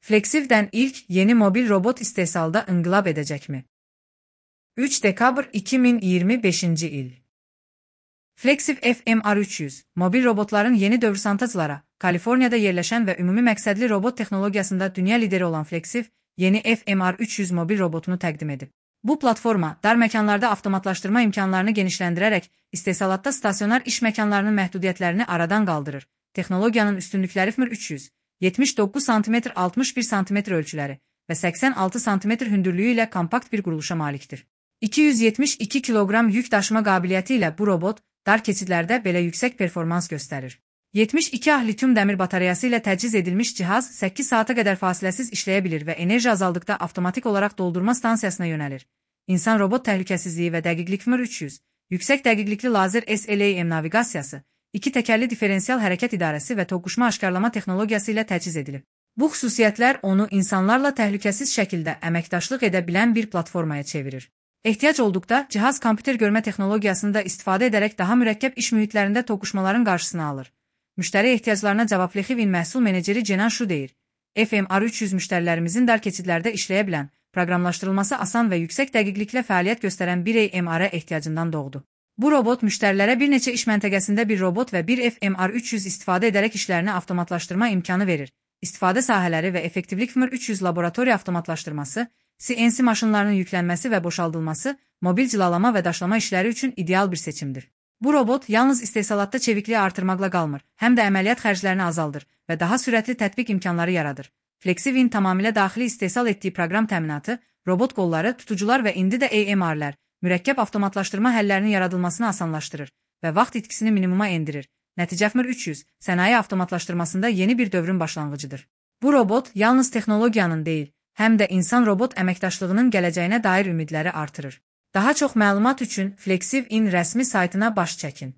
Flexiv'den ilk yeni mobil robot istehsalda inqilab edəcəkmi? 3 dekabr 2025 il. Flexiv FMR300, mobil robotların yeni dövr santaçılara, Kaliforniyada yerləşən və ümumi məqsədli robot texnologiyasında dünya lideri olan Flexiv, yeni FMR300 mobil robotunu təqdim edib. Bu platforma, dar məkanlarda avtomatlaşdırma imkanlarını genişləndirərək, istehsalatda stasionar iş məkanlarının məhdudiyyətlərini aradan qaldırır. Texnologiyanın üstünlükləri FMR300, 79 sm 61 sm ölçüləri və 86 sm hündürlüyü ilə kompakt bir quruluşa malikdir. 272 kiloqram yük daşıma qabiliyyəti ilə bu robot, dar keçidlərdə belə yüksək performans göstərir. 72 Ah lityum dəmir batareyası ilə təchiz edilmiş cihaz 8 saata qədər fasiləsiz işləyə bilir və enerji azaldıqda avtomatik olaraq doldurma stansiyasına yönəlir. İnsan-robot təhlükəsizliyi və dəqiqlik FMR300, yüksək dəqiqlikli lazer SLAM naviqasiyası, 2 təkərli diferensial hərəkət idarəsi və toqquşma aşkarlama texnologiyası ilə təchiz edilib. Bu xüsusiyyətlər onu insanlarla təhlükəsiz şəkildə əməkdaşlıq edə bilən bir platformaya çevirir. Ehtiyac olduqda cihaz kompüter görmə texnologiyasını da istifadə edərək daha mürəkkəb iş mühitlərində toqquşmaların qarşısını alır. Müştəri ehtiyaclarına cavab Flexivin məhsul meneceri Cenan Şu deyir. FMR300 müştərilərimizin dar keçidlərdə işləyə bilən, proqramlaşdırılması asan və yüksək dəqiqliklə fəaliyyət göstərən bir AMR ehtiyacından doğdu. Bu robot müştərilərə bir neçə iş məntəqəsində bir robot və bir FMR300 istifadə edərək işlərini avtomatlaşdırma imkanı verir. İstifadə sahələri və effektivlik FMR300 laboratoriya avtomatlaşdırması, CNC maşınlarının yüklənməsi və boşaldılması, mobil cilalama və daşlama işləri üçün ideal bir seçimdir. Bu robot yalnız istehsalatda çevikliyi artırmaqla qalmır, həm də əməliyyat xərclərini azaldır və daha sürətli tətbiq imkanları yaradır. Flexivin tamamilə daxili istehsal etdiyi proqram təminatı, robot qolları, tutucular və indi də AMR-lər, mürəkkəb avtomatlaşdırma həllərinin yaradılmasını asanlaşdırır və vaxt itkisini minimuma endirir. Nəticə FMR300, sənaye avtomatlaşdırmasında yeni bir dövrün başlanğıcıdır. Bu robot yalnız texnologiyanın deyil, həm də insan-robot əməkdaşlığının gələcəyinə dair ümidləri artırır. Daha çox məlumat üçün Flexiv.in rəsmi saytına baş çəkin.